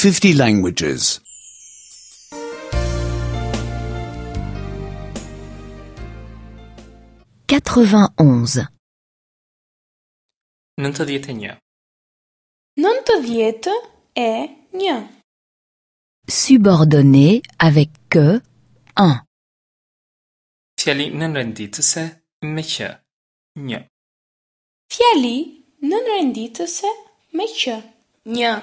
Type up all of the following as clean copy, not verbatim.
50 languages. 91. 91. 91. Subordonné avec que 1. Fjali nënrenditëse me që. 1. Fjali nënrenditëse me që. 1.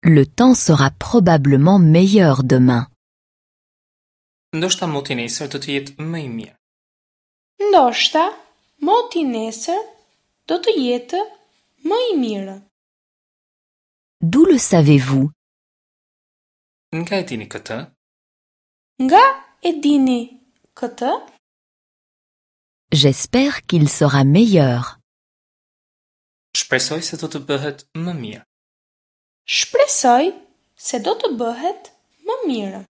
Le temps sera probablement meilleur demain. Ndoshta moti nesër do të jetë më i mirë. Ndoshta moti nesër do të jetë më i mirë. D'où le savez-vous? Nga e dini këtë? Nga e dini këtë? J'espère qu'il sera meilleur. Shpresoj se do të bëhet më mirë. Shpresoj se do të bëhet më mirë.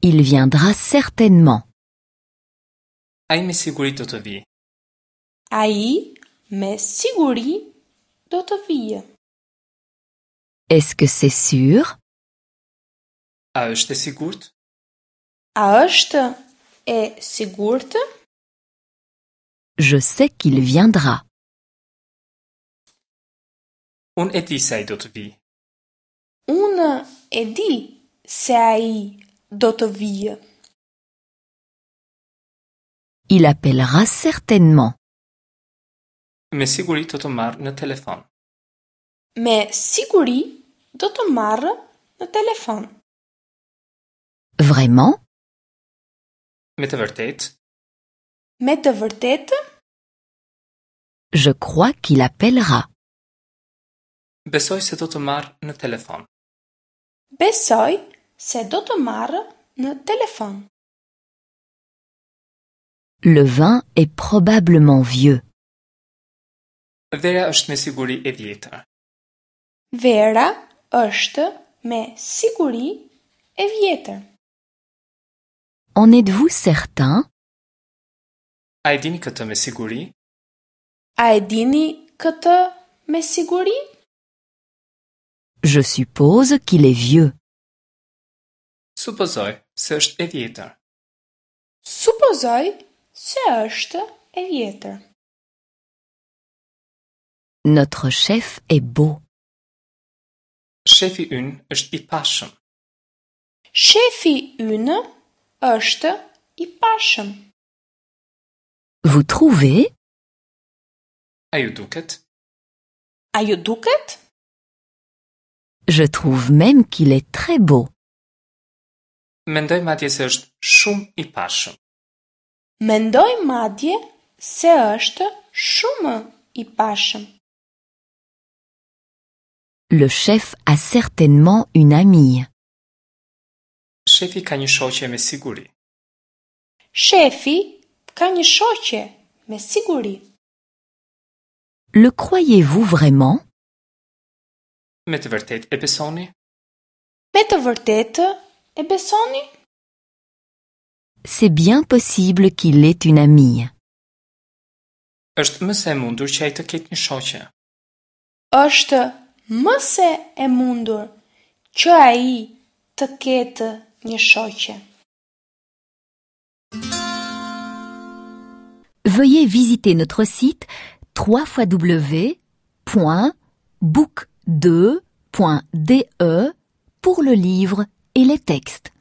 Il viendra certainement. Ai me siguri do të vijë. Ai me siguri do të vijë. Est-ce que c'est sûr? A është e sigurt? A është e sigurt? Je sais qu'il viendra. Unë e di se ai do të vijë. Unë e di se ai do të vijë. Il appellera certainement. Me siguri do të marrë në telefon. Me siguri do të marrë në telefon. Vraiment? Me të vërtetë, Me të vërtetë, Je crois qu'il appellera. besoj se do të marrë në telefon. besoj se do të marrë në telefon. Le vin est probablement vieux. Vera është me siguri e vjetër. Vera është me siguri e vjetër. En êtes-vous certain? A e dini këtë me siguri? A e dini këtë me siguri? Je suppose qu'il est vieux. Supozoj se është e vjetër. Supozoj se është e vjetër. Notre chef est beau. Shefi ynë është i pashëm. Shefi ynë është i pashëm. Vous trouvez? A ju duket? A ju duket? Je trouve même qu'il est très beau. Mendoj madje se është shumë i pashëm. Mendoj madje se është shumë i pashëm. Le chef a certainement une amie. Shefi ka një shoqe me siguri. Shefi ka një shoqe me siguri. Le croyez-vous vraiment? Me të vërtetë e besoni? Me të vërtetë e besoni? C'est bien possible qu'il ait une amie. Është më se e mundur që ai të ketë një shoqe. Është më se e mundur që ai të ketë një shoqe. Veuillez visiter notre site www.book2.de pour le livre et les textes.